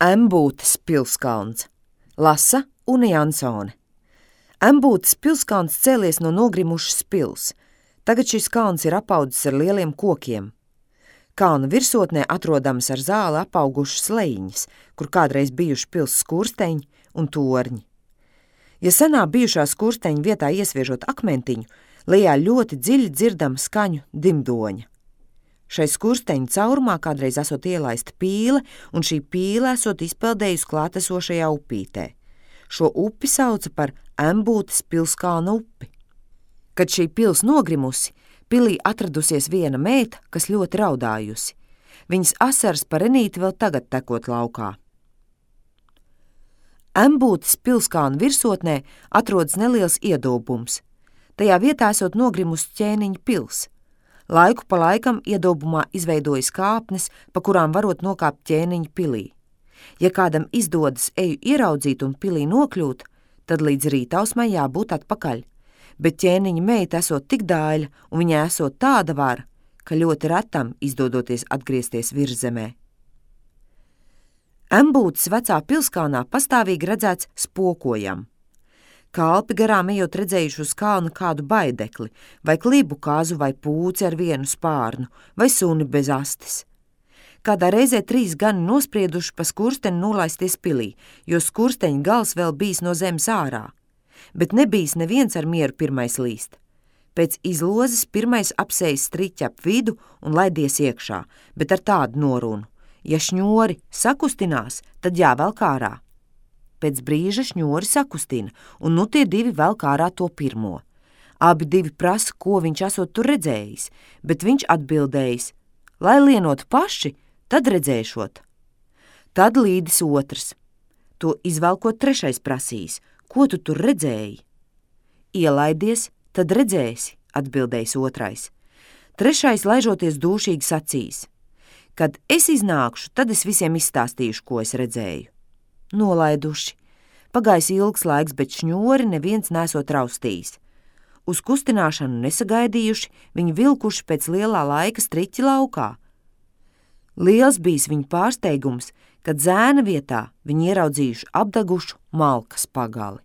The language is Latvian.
Embūtes pilskalns. Lasa Une Jansone. Embūtes pilskalns cēlies no nogrimušas pils. Tagad šis kalns ir apaudzis ar lieliem kokiem. Kalna virsotnē atrodams ar zāli apaugušas lejiņas, kur kādreiz bijuši pils skursteņi un torņi. Ja senā bijušā skursteņa vietā iesviežot akmentiņu, lejā ļoti dziļi dzirdama skaņu dimdoņa. Šai skursteņa caurumā kādreiz esot ielaista pīle, un šī pīle esot izpeldējusi klātesošajā upītē. Šo upi sauca par Embūtes pilskalna upi. Kad šī pils nogrimusi, pilī atradusies viena meita, kas ļoti raudājusi. Viņas asaras par renīti vēl tagad tekot laukā. Embūtes pilskalna virsotnē atrodas neliels iedobums. Tajā vietā esot nogrimusi ķēniņa pils. Laiku pa laikam iedobumā izveidojas kāpnes, pa kurām varot nokāpt ķēniņa pilī. Ja kādam izdodas eju ieraudzīt un pilī nokļūt, tad līdz rītausmai jābūt atpakaļ. Bet ķēniņa meita esot tik dāļa un viņai esot tāda vara, ka ļoti retam izdodoties atgriezties virzemē. Embūtes vecā pilskalnā pastāvīgi redzēts spokojam. Kalpi garām ejot redzējuši uz kalna kādu baidekli, vai klibu kazu vai pūci ar vienu spārnu, vai suni bez astes. Kādā reizē 3 gani nosprieduši pa skursteni nolaisties pilī, jo skursteņa gals vēl bijis no zemes ārā. Bet nebijis neviens ar mieru pirmais līst. Pēc izlozes pirmais apsējis striķi ap vidu un laidies iekšā, bet ar tādu norunu: ja šņori sakustinās, tad jāvelk ārā. Pēc brīža šņori sakustina, un nu tie 2 velk ārā to pirmo. Abi 2 prasa, ko viņš esot tur redzējis, bet viņš atbildējis: lai lienot paši, tad redzēšot. Tad līdis otrs. To izvelkot 3. prasīs: ko tu tur redzēji? Ielaidies, tad redzēsi, atbildējis 2. 3. laižoties dūšīgi sacīs: kad es iznākšu, tad es visiem izstāstīšu, ko es redzēju. Nolaiduši. Pagājis ilgs laiks, bet šņori neviens nesot raustījis. Uz kustināšanu nesagaidījuši, viņi vilkuši pēc lielā laika striķi laukā. Liels bijis viņu pārsteigums, kad zēna vietā viņi ieraudzījuši apdegušu malkas pagali.